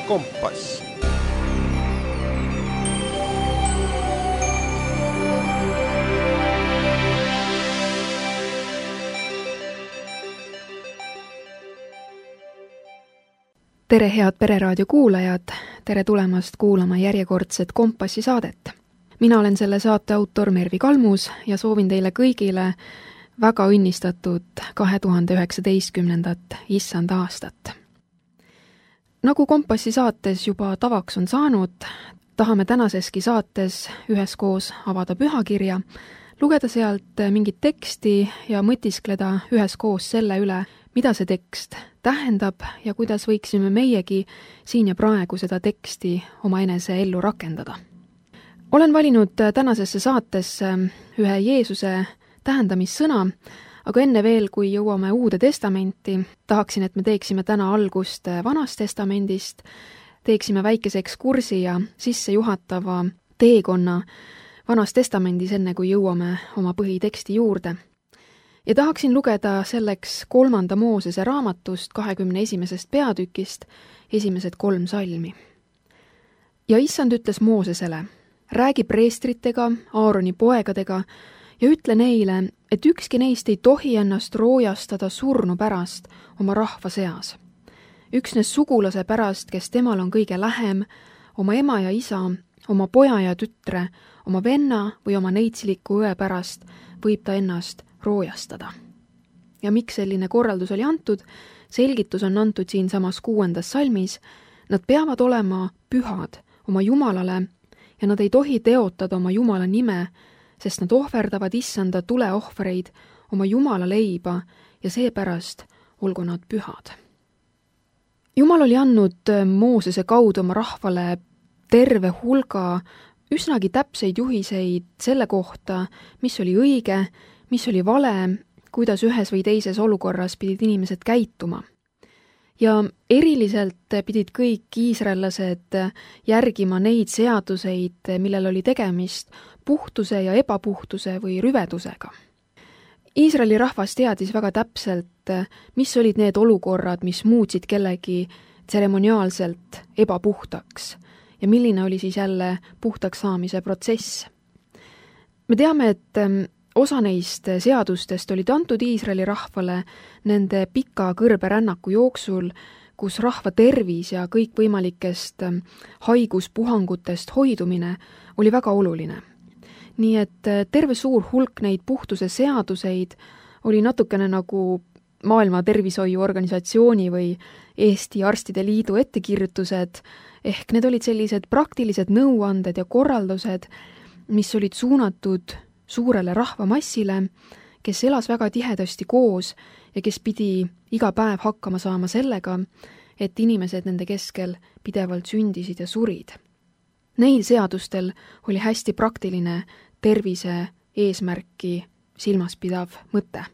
Kompass. Tere head Pereraadio kuulajad, tere tulemast kuulama järjekordset Kompassi saadet. Mina olen selle saate autor Mervi Kalmus ja soovin teile kõigile väga õnnistatud 2019. issanda aastat. Nagu Kompassi saates juba tavaks on saanud, tahame tänaseski saates üheskoos avada pühakirja, lugeda sealt mingit teksti ja mõtiskleda üheskoos selle üle, mida see tekst tähendab ja kuidas võiksime meiegi siin ja praegu seda teksti omaenese ellu rakendada. Olen valinud tänasesse saatesse ühe Jeesuse tähendamissõna, aga enne veel, kui jõuame Uude Testamenti, tahaksin, et me teeksime täna algust Vanast Testamendist, teeksime väikese ekskursi ja sissejuhatava teekonna Vanas Testamendis, enne kui jõuame oma põhiteksti juurde. Ja tahaksin lugeda selleks 3. Moosese raamatust 21. peatükist esimesed 3 salmi. Ja issand ütles Moosesele, räägi preestritega, Aaroni poegadega ja ütle neile, et ükski neist ei tohi ennast roojastada surnu pärast oma rahva seas. Üksnes sugulase pärast, kes temal on kõige lähem, oma ema ja isa, oma poja ja tütre, oma venna või oma neitsiliku õe pärast võib ta ennast roojastada. Ja miks selline korraldus oli antud? Selgitus on antud siin samas 6. salmis. Nad peavad olema pühad oma Jumalale ja nad ei tohi teotada oma Jumala nime, sest nad ohverdavad issanda tuleohvreid, oma Jumala leiba ja seepärast olgu nad pühad. Jumal oli andnud Moosese kaudu oma rahvale terve hulga üsnagi täpseid juhiseid selle kohta, mis oli õige, mis oli vale, kuidas ühes või teises olukorras pidid inimesed käituma. Ja eriliselt pidid kõik iisraellased järgima neid seaduseid, millel oli tegemist puhtuse ja ebapuhtuse või rüvedusega. Iisraeli rahvas teadis väga täpselt, mis olid need olukorrad, mis muutsid kellegi tseremoniaalselt ebapuhtaks ja milline oli siis jälle puhtaks saamise protsess. Me teame, et osa neist seadustest olid antud Iisraeli rahvale nende pika kõrberännaku jooksul, kus rahva tervis ja kõikvõimalikest haiguspuhangutest hoidumine oli väga oluline. Nii et terve suur hulk neid puhtuse seaduseid oli natukene nagu Maailma Tervishoiuorganisatsiooni või Eesti Arstide Liidu ettekirjutused, ehk need olid sellised praktilised nõuanded ja korraldused, mis olid suunatud suurele rahvamassile, kes elas väga tihedasti koos ja kes pidi iga päev hakkama saama sellega, et inimesed nende keskel pidevalt sündisid ja surid. Neil seadustel oli hästi praktiline tervise eesmärki silmas pidav mõte.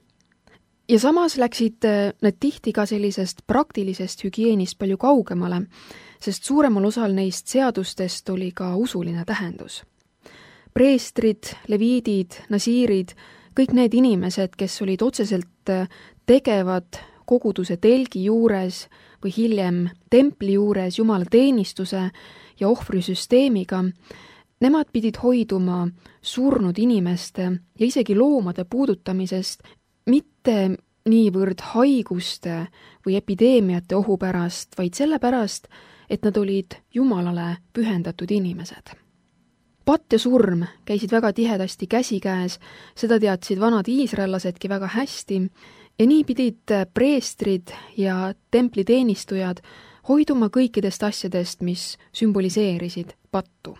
Ja samas läksid need tihti ka sellisest praktilisest hügieenist palju kaugemale, sest suuremal osal neist seadustest oli ka usuline tähendus. Preestrid, leviidid, nasiirid, kõik need inimesed, kes olid otseselt tegevad koguduse telgi juures või hiljem templi juures Jumala teenistuse ja ohvrisüsteemiga, nemad pidid hoiduma surnud inimeste ja isegi loomade puudutamisest mitte niivõrd haiguste või epideemiate ohu pärast, vaid sellepärast, et nad olid Jumalale pühendatud inimesed. Patt ja surm käisid väga tihedasti käsikäes, seda teadsid vanad iisraellasedki väga hästi ja nii pidid preestrid ja templiteenistujad hoiduma kõikidest asjadest, mis sümboliseerisid pattu.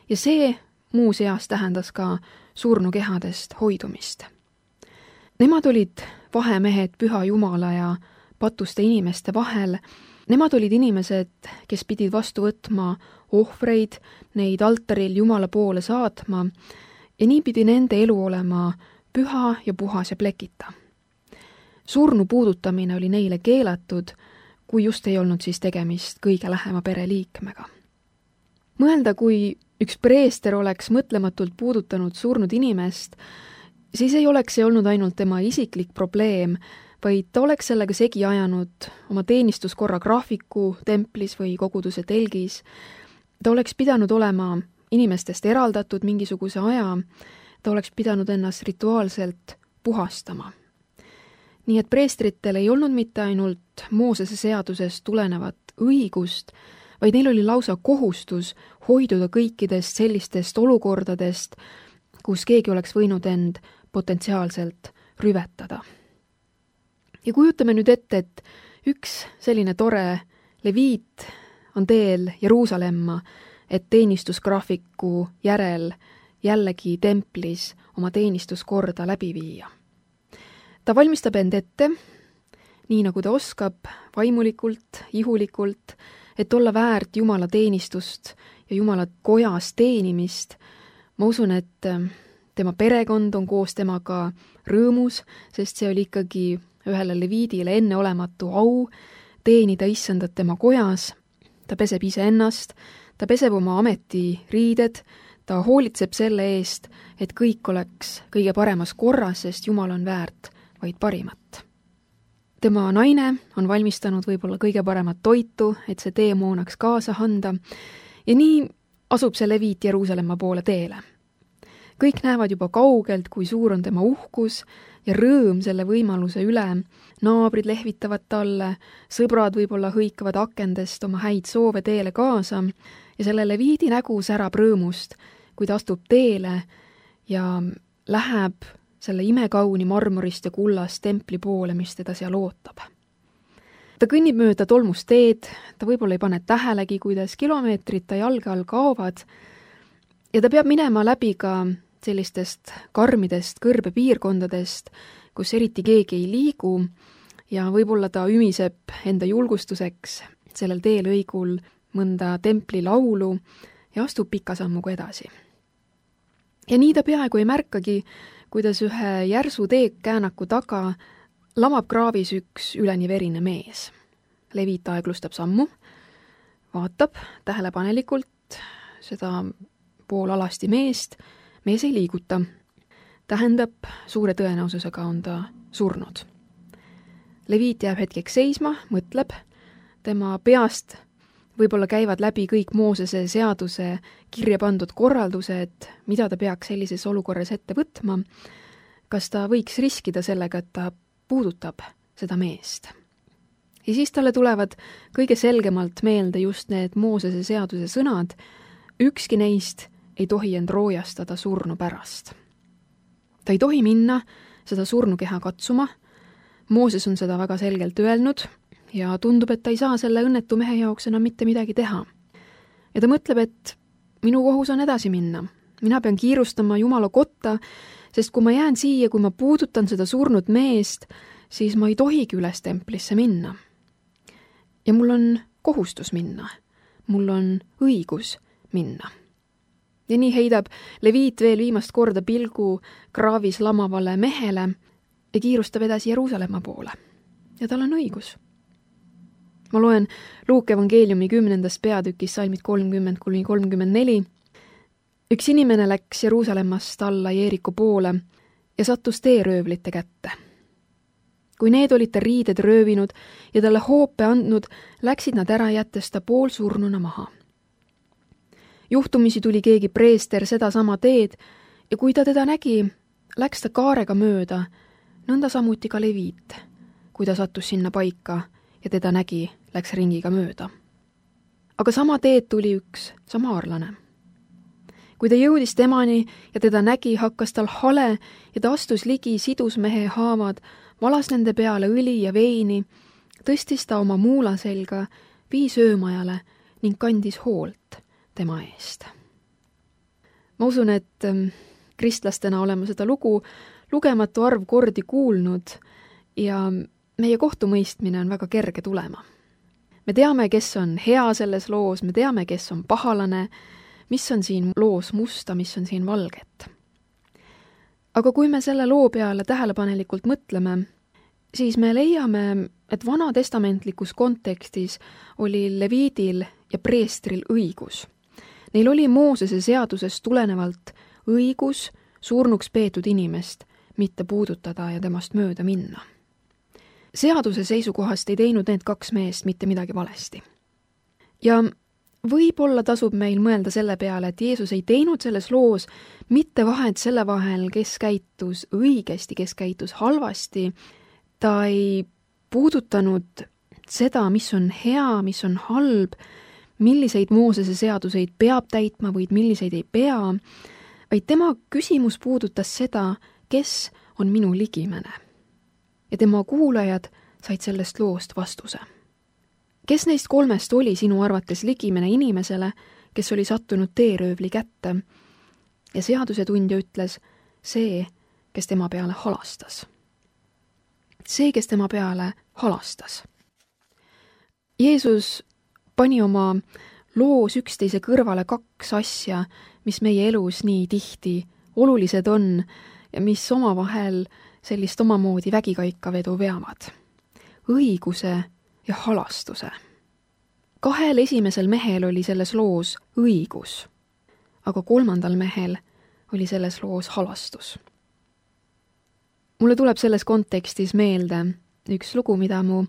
Ja see muuseas tähendas ka surnukehadest hoidumist. Nemad olid vahemehed Püha Jumala ja patuste inimeste vahel. Nemad olid inimesed, kes pidid vastu võtma ohvreid, neid altaril Jumala poole saatma ja nii pidi nende elu olema püha ja puhas ja plekita. Surnu puudutamine oli neile keelatud, kui just ei olnud siis tegemist kõige lähema pereliikmega. Mõelda, kui üks preester oleks mõtlematult puudutanud surnud inimest, siis ei oleks see olnud ainult tema isiklik probleem, vaid ta oleks sellega segi ajanud oma teenistuskorra graafiku templis või koguduse telgis. Ta oleks pidanud olema inimestest eraldatud mingisuguse aja, ta oleks pidanud ennast rituaalselt puhastama. Nii et preestritel ei olnud mitte ainult Moosese seadusest tulenevat õigust, vaid neil oli lausa kohustus hoiduda kõikidest sellistest olukordadest, kus keegi oleks võinud end potentsiaalselt rüvetada. Ja kujutame nüüd ette, et üks selline tore leviit on teel Jeruusalemma, et teenistusgraafiku järel jällegi templis oma teenistuskorda läbi viia. Ta valmistab end ette, nii nagu ta oskab, vaimulikult, ihulikult, et olla väärt Jumala teenistust ja Jumala kojas teenimist. Ma usun, et tema perekond on koos temaga rõõmus, sest see oli ikkagi ühele leviidile enneolematu au teenida issandat tema kojas. Ta peseb iseennast, ta peseb oma ametiriided, ta hoolitseb selle eest, et kõik oleks kõige paremas korras, sest Jumal on väärt vaid parimat. Tema naine on valmistanud võib-olla kõige paremat toitu, et see teemoonaks kaasa anda, ja nii asub see leviit Jeruusalemma poole teele. Kõik näevad juba kaugelt, kui suur on tema uhkus ja rõõm selle võimaluse üle. Naabrid lehvitavad talle, sõbrad võib-olla hõikavad akendest oma häid soove teele kaasa ja selle leviidi nägu särab rõõmust, kui ta astub teele ja läheb selle imekauni marmorist ja kullast templi poole, mis teda seal ootab. Ta kõnnib mööda tolmust teed, ta võib-olla ei pane tähelegi, kuidas kilomeetrid ta jalge all kaovad ja ta peab minema läbi ka sellistest karmidest kõrbepiirkondadest, kus eriti keegi ei liigu ja võib-olla ta ümiseb enda julgustuseks sellel teelõigul mõnda templi laulu ja astub pika sammuga edasi. Ja nii ta peaaegu ei märkagi, kuidas ühe järsu teekäänaku taga lamab kraavis üks üleni verine mees. Leviit aeglustab sammu, vaatab tähelepanelikult seda poolalasti meest, mees ei liiguta. Tähendab, suure tõenäosusega on ta surnud. Leviit jääb hetkeks seisma, mõtleb, tema peast võib-olla käivad läbi kõik Moosese seaduse kirja pandud korraldused, mida ta peaks sellises olukorras ette võtma, kas ta võiks riskida sellega, et ta puudutab seda meest. Ja siis talle tulevad kõige selgemalt meelde just need Moosese seaduse sõnad, ükski neist ei tohi end roojastada surnu pärast. Ta ei tohi minna seda surnukeha katsuma, Mooses on seda väga selgelt öelnud ja tundub, et ta ei saa selle õnnetu mehe jaoks enam mitte midagi teha. Ja ta mõtleb, et minu kohus on edasi minna. Mina pean kiirustama Jumala kotta, sest kui ma jään siia, kui ma puudutan seda surnud meest, siis ma ei tohigi üles templisse minna. Ja mul on kohustus minna. Mul on õigus minna. Ja nii heidab leviit veel viimast korda pilgu kraavis lamavale mehele ja kiirustab edasi Jeruusalemma poole. Ja tal on õigus. Ma loen Luuke evangeeliumi 10. peatükis salmid 30-34. Üks inimene läks Jeruusalemmast alla Jeeriku poole ja sattus teeröövlite kätte. Kui need olid ta riided röövinud ja talle hoope andnud, läksid nad ära jättes ta poolsurnuna maha. Juhtumisi tuli keegi preester sedasama teed ja kui ta teda nägi, läks ta kaarega mööda, nõnda samuti ka leviit, kui ta sattus sinna paika ja teda nägi, läks ringiga mööda. Aga sama teed tuli üks samaarlane. Kui ta jõudis temani ja teda nägi, hakkas tal hale ja ta astus ligi sidusmehe haavad, valas nende peale õli ja veini, tõstis ta oma muula selga, viis öömajale ning kandis hoolt tema eest. Ma usun, et kristlastena oleme seda lugu lugematu arv kordi kuulnud ja meie kohtumõistmine on väga kerge tulema. Me teame, kes on hea selles loos, me teame, kes on pahalane, mis on siin loos musta, mis on siin valget. Aga kui me selle loo peale tähelepanelikult mõtleme, siis me leiame, et vanatestamentlikus kontekstis oli leviidil ja preestril õigus. Neil oli Moosese seadusest tulenevalt õigus surnuks peetud inimest mitte puudutada ja temast mööda minna. Seaduse seisukohast ei teinud need 2 meest mitte midagi valesti. Ja võib-olla tasub meil mõelda selle peale, et Jeesus ei teinud selles loos mitte vahet selle vahel, kes käitus õigesti, kes käitus halvasti. Ta ei puudutanud seda, mis on hea, mis on halb, milliseid Moosese seaduseid peab täitma või milliseid ei pea, vaid tema küsimus puudutas seda, kes on minu ligimene. Ja tema kuulajad said sellest loost vastuse. Kes neist 3 oli sinu arvates ligimene inimesele, kes oli sattunud teeröövli kätte? Ja seadusetundja ütles, see, kes tema peale halastas. See, kes tema peale halastas. Jeesus pani oma loos üksteise kõrvale 2 asja, mis meie elus nii tihti olulised on ja mis omavahel sellist omamoodi vägikaikavedu veavad. Õiguse ja halastuse. 2 esimesel mehel oli selles loos õigus, aga 3. mehel oli selles loos halastus. Mulle tuleb selles kontekstis meelde üks lugu, mida mu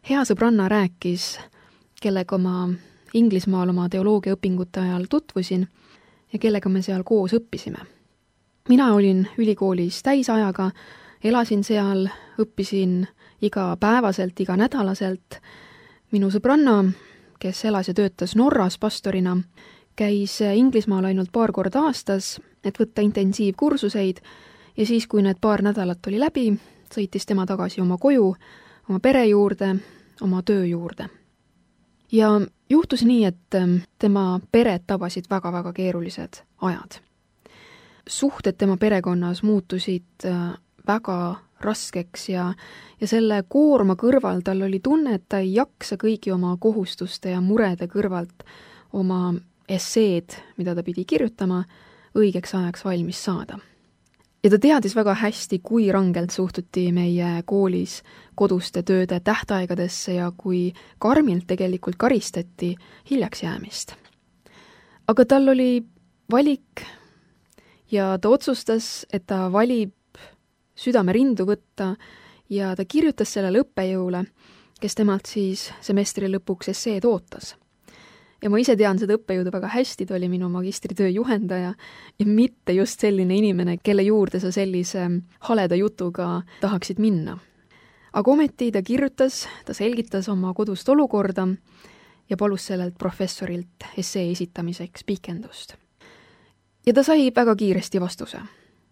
hea sõbranna rääkis, kellega ma Inglismaal oma teoloogiaõpingute ajal tutvusin ja kellega me seal koos õppisime. Mina olin ülikoolis täisajaga, elasin seal, õppisin igapäevaselt, iganädalaselt. Minu sõbranna, kes elas ja töötas Norras pastorina, käis Inglismaal ainult 2 korda aastas, et võtta intensiivkursuseid ja siis, kui need 2 nädalat oli läbi, sõitis tema tagasi oma koju, oma pere juurde, oma töö juurde. Ja juhtus nii, et tema peret tabasid väga-väga keerulised ajad. Suhted tema perekonnas muutusid väga raskeks ja selle koorma kõrval tal oli tunne, et ta ei jaksa kõigi oma kohustuste ja murede kõrvalt oma esseed, mida ta pidi kirjutama, õigeks ajaks valmis saada. Ja ta teadis väga hästi, kui rangelt suhtuti meie koolis koduste tööde tähtaegadesse ja kui karmilt tegelikult karistati hiljaks jäämist. Aga tal oli valik ja ta otsustas, et ta valib südame rindu võtta ja ta kirjutas sellele õppejõule, kes temalt siis semestri lõpuks esseed ootas. Ja ma ise tean seda õppejõudu väga hästi, ta oli minu magistritöö juhendaja ja mitte just selline inimene, kelle juurde sa sellise haleda jutuga tahaksid minna. Aga ometi ta kirjutas, ta selgitas oma kodust olukorda ja palus sellelt professorilt essee esitamiseks pikendust. Ja ta sai väga kiiresti vastuse.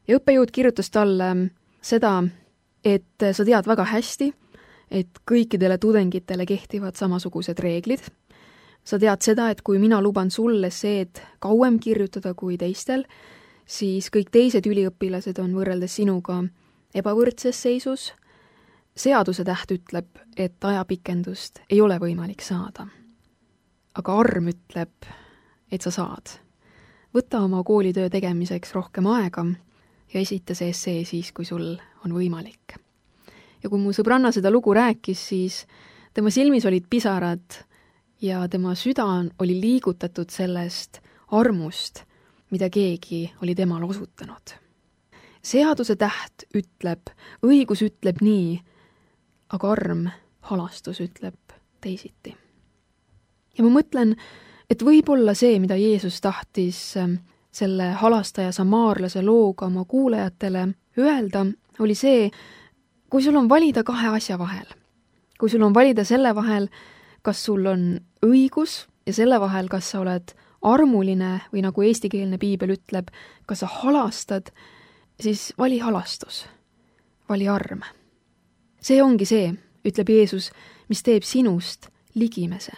Ja õppejõud kirjutas talle seda, et sa tead väga hästi, et kõikidele tudengitele kehtivad samasugused reeglid. Sa tead seda, et kui mina luban sulle esseed kauem kirjutada kui teistel, siis kõik teised üliõpilased on võrreldes sinuga ebavõrdses seisus. Seaduse täht ütleb, et ajapikendust ei ole võimalik saada. Aga arm ütleb, et sa saad. Võta oma koolitöö tegemiseks rohkem aega ja esita see essee siis, kui sul on võimalik. Ja kui mu sõbranna seda lugu rääkis, siis tema silmis olid pisarad ja tema süda oli liigutatud sellest armust, mida keegi oli temale osutanud. Seaduse täht ütleb, õigus ütleb nii, aga arm, halastus ütleb teisiti. Ja ma mõtlen, et võib-olla see, mida Jeesus tahtis selle halastaja samaarlase looga oma kuulajatele öelda, oli see, kui sul on valida 2 asja vahel. Kui sul on valida selle vahel, kas sul on õigus ja selle vahel, kas sa oled armuline või nagu eestikeelne piibel ütleb, kas sa halastad, siis vali halastus, vali arm. See ongi see, ütleb Jeesus, mis teeb sinust ligimese.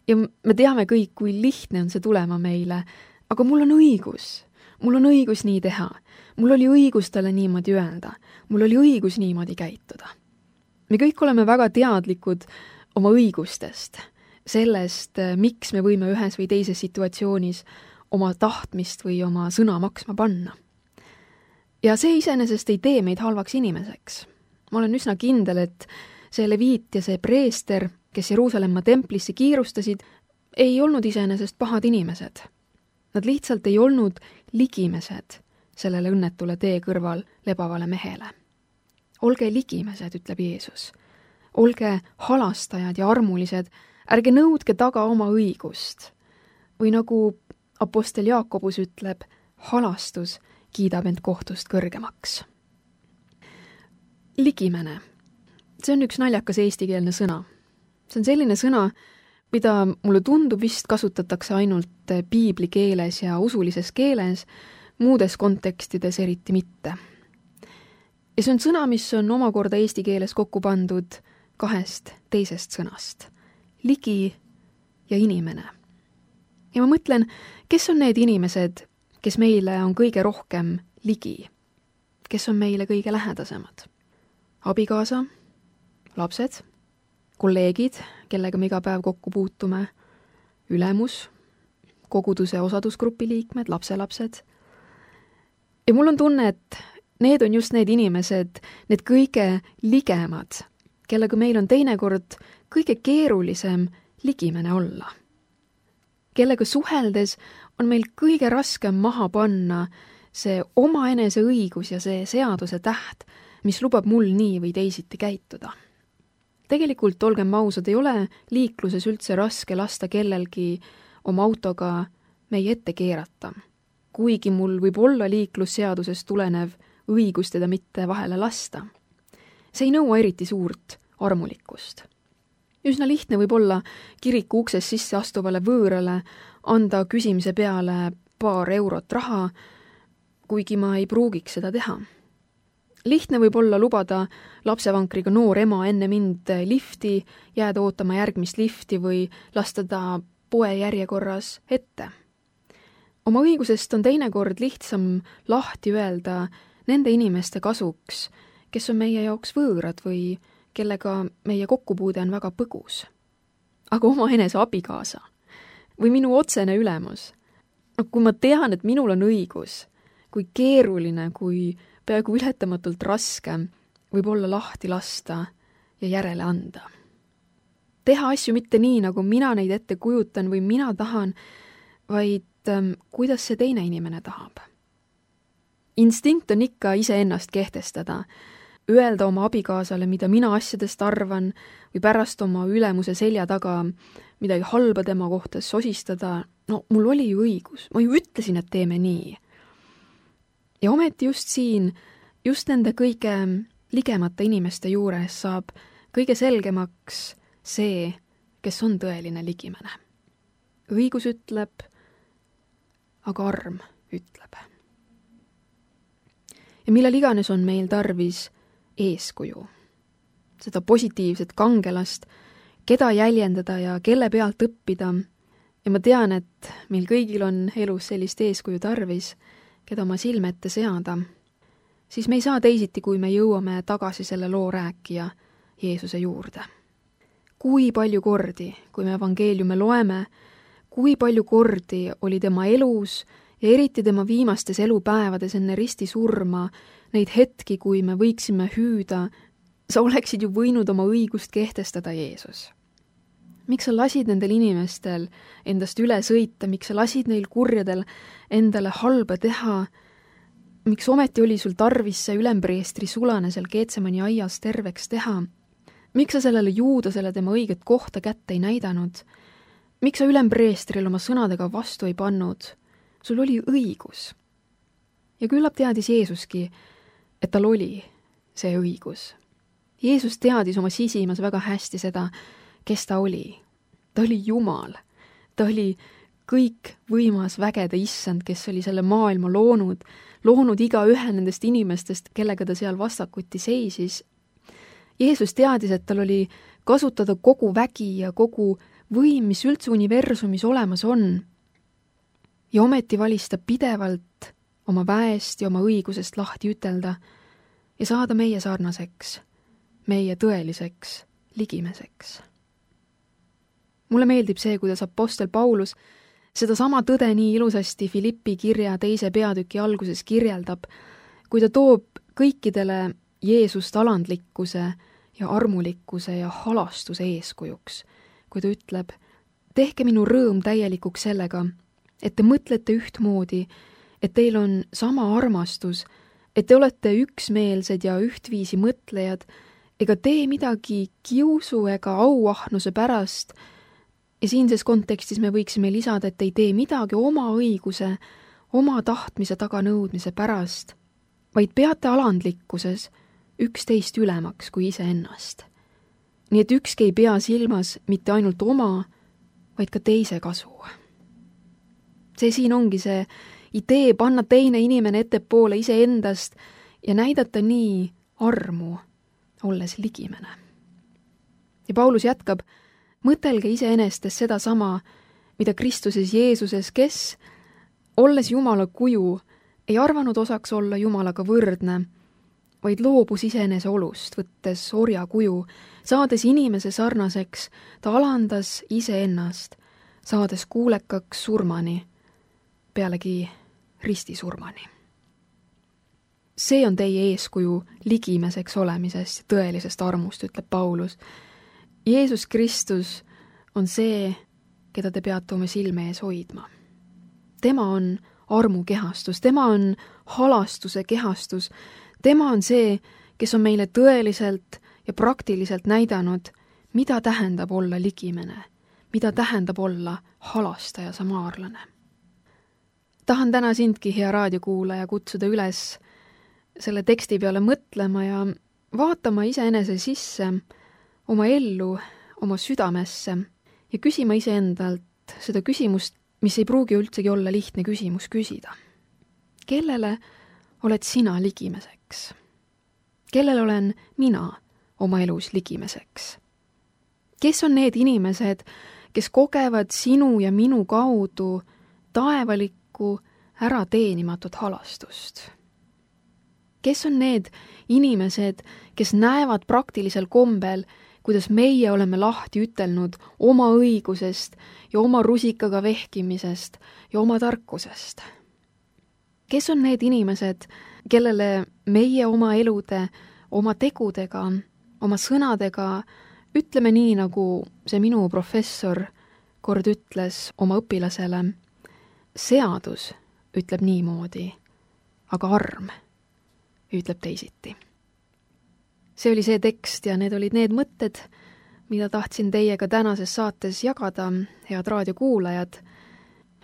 Ja me teame kõik, kui lihtne on see tulema meile, aga mul on õigus nii teha, mul oli õigus talle niimoodi öelda, mul oli õigus niimoodi käituda. Me kõik oleme väga teadlikud oma õigustest, sellest, miks me võime ühes või teises situatsioonis oma tahtmist või oma sõna maksma panna. Ja see iseenesest ei tee meid halvaks inimeseks. Ma olen üsna kindel, et see leviit ja see preester, kes Jeruusalemma templisse kiirustasid, ei olnud iseenesest pahad inimesed. Nad lihtsalt ei olnud ligimesed sellele õnnetule tee kõrval lebavale mehele. Olge ligimesed, ütleb Jeesus. Olge halastajad ja armulised, ärge nõudke taga oma õigust. Või nagu apostel Jaakobus ütleb, halastus kiidab end kohtust kõrgemaks. Ligimene. See on üks naljakas eestikeelne sõna. See on selline sõna, mida mulle tundub vist kasutatakse ainult piibli keeles ja usulises keeles, muudes kontekstides eriti mitte. Ja see on sõna, mis on omakorda eesti keeles kokku pandud kahest teisest sõnast. Ligi ja inimene. Ja ma mõtlen, kes on need inimesed, kes meile on kõige rohkem ligi? Kes on meile kõige lähedasemad? Abikaasa, lapsed, kolleegid, kellega me iga päev kokku puutume, ülemus, koguduse osadusgrupi liikmed, lapselapsed. Ja mul on tunne, et need on just need inimesed, need kõige ligemad, kellega meil on teinekord kõige keerulisem ligimene olla. Kellega suheldes on meil kõige raskem maha panna see omaenese õigus ja see seaduse täht, mis lubab mul nii või teisiti käituda. Tegelikult, olgem ausad, ei ole liikluses üldse raske lasta kellelgi oma autoga meie ette keerata. Kuigi mul võib olla liiklusseadusest tulenev õigus teda mitte vahele lasta. See ei nõua eriti suurt armulikkust. Üsna lihtne võib olla kiriku ukses sisse astuvale võõrale anda küsimise peale paar eurot raha, kuigi ma ei pruugiks seda teha. Lihtne võib olla lubada lapsevankriga noor ema enne mind lifti, jääda ootama järgmist lifti või lasta ta poe järjekorras ette. Oma õigusest on teinekord lihtsam lahti öelda nende inimeste kasuks, kes on meie jaoks võõrad või kellega meie kokkupuude on väga põgus. Aga omaenese abikaasa või minu otsene ülemus. Kui ma tean, et minul on õigus, kui keeruline, kui peaaegu ületamatult raske võib olla lahti lasta ja järele anda. Teha asju mitte nii, nagu mina neid ette kujutan või mina tahan, vaid kuidas see teine inimene tahab. Instinkt on ikka iseennast kehtestada, öelda oma abikaasale, mida mina asjadest arvan või pärast oma ülemuse selja taga midagi halba tema kohta sosistada. No mul oli ju õigus, ma ju ütlesin, et teeme nii. Ja ometi just siin, just nende kõige ligemate inimeste juures saab kõige selgemaks see, kes on tõeline ligimene. Õigus ütleb, aga arm ütleb. Ja millal iganes on meil tarvis eeskuju, seda positiivset kangelast, keda jäljendada ja kelle pealt õppida. Ja ma tean, et meil kõigil on elus sellist eeskuju tarvis, keda oma silme ette seada, siis me ei saa teisiti, kui me jõuame tagasi selle loo rääkija Jeesuse juurde. Kui palju kordi, kui me evangeeliume loeme, kui palju kordi oli tema elus ja eriti tema viimastes elupäevades enne risti surma neid hetki, kui me võiksime hüüda, sa oleksid ju võinud oma õigust kehtestada, Jeesus. Miks sa lasid nendel inimestel endast üle sõita, miks sa lasid neil kurjadel endale halba teha, miks ometi oli sul tarvis see ülempreestri sulane seal Getsemani aias terveks teha, miks sa sellele Juudasele tema õiget kohta kätte ei näidanud, miks sa ülempreestril oma sõnadega vastu ei pannud, sul oli õigus. Ja küllap teadis Jeesuski, et tal oli see õigus. Jeesus teadis oma sisimas väga hästi seda, kes ta oli. Ta oli Jumal. Ta oli kõik võimas vägede issand, kes oli selle maailma loonud iga ühe nendest inimestest, kellega ta seal vastakuti seisis. Jeesus teadis, et tal oli kasutada kogu vägi ja kogu võim, mis üldse universumis olemas on. Ja ometi valis ta pidevalt oma väest ja oma õigusest lahti ütelda ja saada meie sarnaseks, meie tõeliseks ligimeseks. Mulle meeldib see, kuidas apostel Paulus seda sama tõde nii ilusasti Filippi kirja 2. peatüki alguses kirjeldab, kui ta toob kõikidele Jeesust alandlikkuse ja armulikkuse ja halastuse eeskujuks, kui ta ütleb, tehke minu rõõm täielikuks sellega, et te mõtlete ühtmoodi, et teil on sama armastus et te olete üksmeelsed ja ühtviisi mõtlejad, ega tee midagi kiusu ega auahnuse pärast, ja siinses kontekstis me võiksime lisada, et ei tee midagi oma õiguse, oma tahtmise taganõudmise pärast, vaid peate alandlikkuses üksteist ülemaks kui iseennast. Nii et ükski ei pea silmas mitte ainult oma, vaid ka teise kasu. See siin ongi see idee panna teine inimene ettepoole iseendast ja näidata nii armu, olles ligimene. Ja Paulus jätkab, mõtelge iseenestes seda sama, mida Kristuses Jeesuses, kes, olles Jumala kuju, ei arvanud osaks olla Jumalaga võrdne, vaid loobus iseenese olust, võttes orja kuju, saades inimese sarnaseks, ta alandas iseennast, saades kuulekaks surmani, pealegi ristisurmani. See on teie eeskuju ligimeseks olemisest ja tõelisest armust, ütleb Paulus. Jeesus Kristus on see, keda te peate oma silme ees hoidma. Tema on armu kehastus, tema on halastuse kehastus, tema on see, kes on meile tõeliselt ja praktiliselt näidanud, mida tähendab olla ligimene, mida tähendab olla halastaja samaarlane. Tahan täna sindki, hea raadiokuulaja, kutsuda üles selle teksti peale mõtlema ja vaatama iseenese sisse, oma ellu, oma südamesse ja küsima iseendalt seda küsimust, mis ei pruugi üldsegi olla lihtne küsimus küsida. Kellele oled sina ligimeseks? Kellele olen mina oma elus ligimeseks? Kes on need inimesed, kes kogevad sinu ja minu kaudu taevalikku ärateenimatut halastust? Kes on need inimesed, kes näevad praktilisel kombel, kuidas meie oleme lahti ütelnud oma õigusest ja oma rusikaga vehkimisest ja oma tarkusest? Kes on need inimesed, kellele meie oma elude, oma tegudega, oma sõnadega ütleme nii, nagu see minu professor kord ütles oma õpilasele, seadus ütleb niimoodi, aga arm ütleb teisiti. See oli see tekst ja need olid need mõtted, mida tahtsin teiega tänases saates jagada, head raadiokuulajad.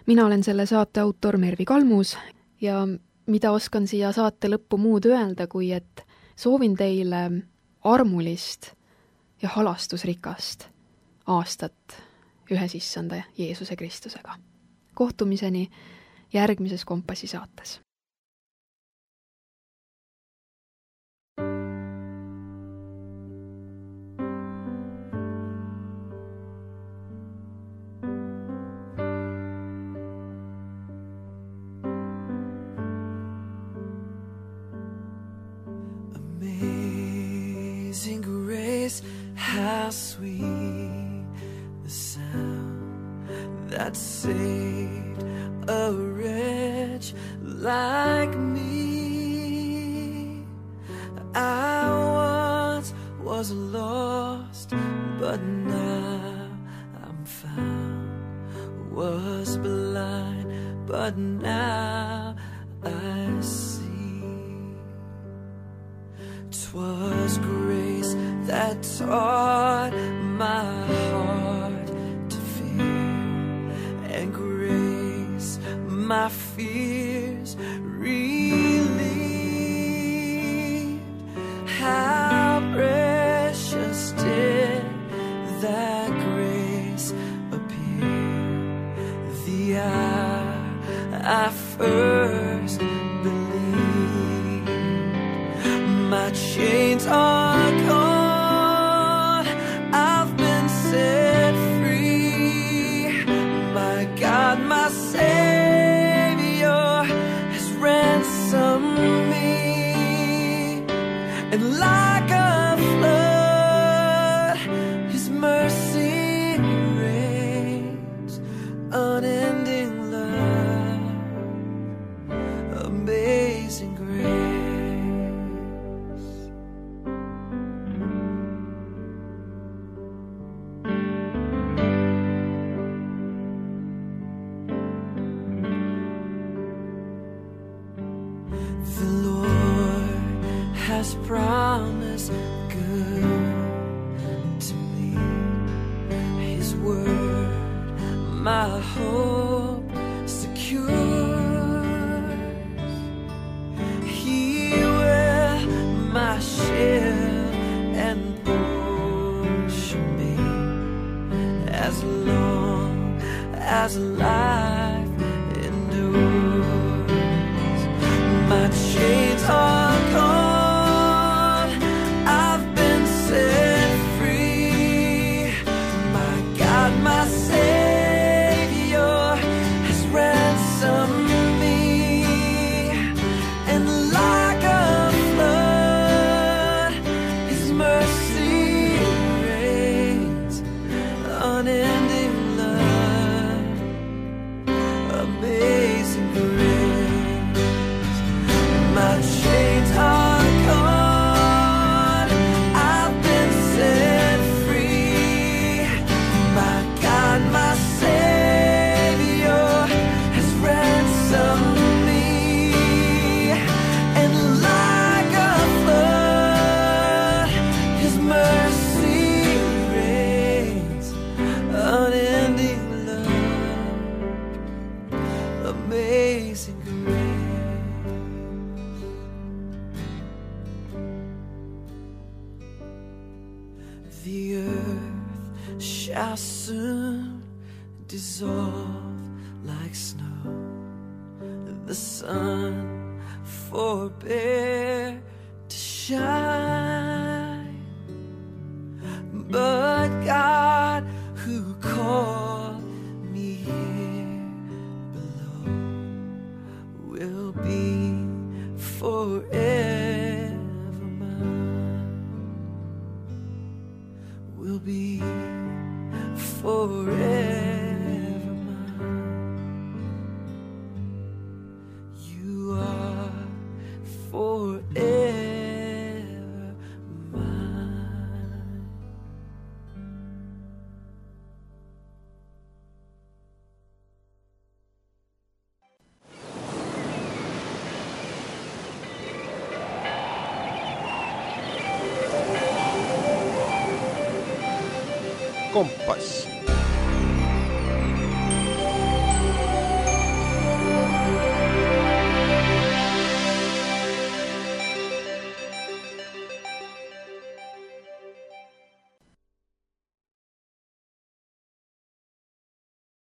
Mina olen selle saate autor Mervi Kalmus ja mida oskan siia saate lõppu muud öelda, kui et soovin teile armulist ja halastusrikast aastat ühes issanda Jeesuse Kristusega. Kohtumiseni järgmises Kompassi saates. Amazing grace, how sweet the sound that saved a wretch like me. I once was lost, but now I'm found. Was blind, but now I see. 'Twas grace that taught my heart to fear, and grace my fears relieved. How precious did that grace appear the hour I first believed. My chains are gone, I've been set free. My God, my Savior has ransomed me. And like a flood, His mercy reigns. Unending love, amazing grace. The Lord has promised good to me. His word, my hope secure. He will my shield and portion be, as long as life endures. My chains are gone, I've been set free. My God, my Savior has ransomed me. And like a flood, His mercy reigns, unending love, amazing grace. My chains are gone, I've been set free. My God, my Savior has ransomed me. And like a flood, His mercy reigns, unending love, amazing grace. The earth shall soon dissolve like snow. The sun forbear to shine. But God, who called me here below, will be forever mine. Will be forever mine. You are forever mine. Kompass.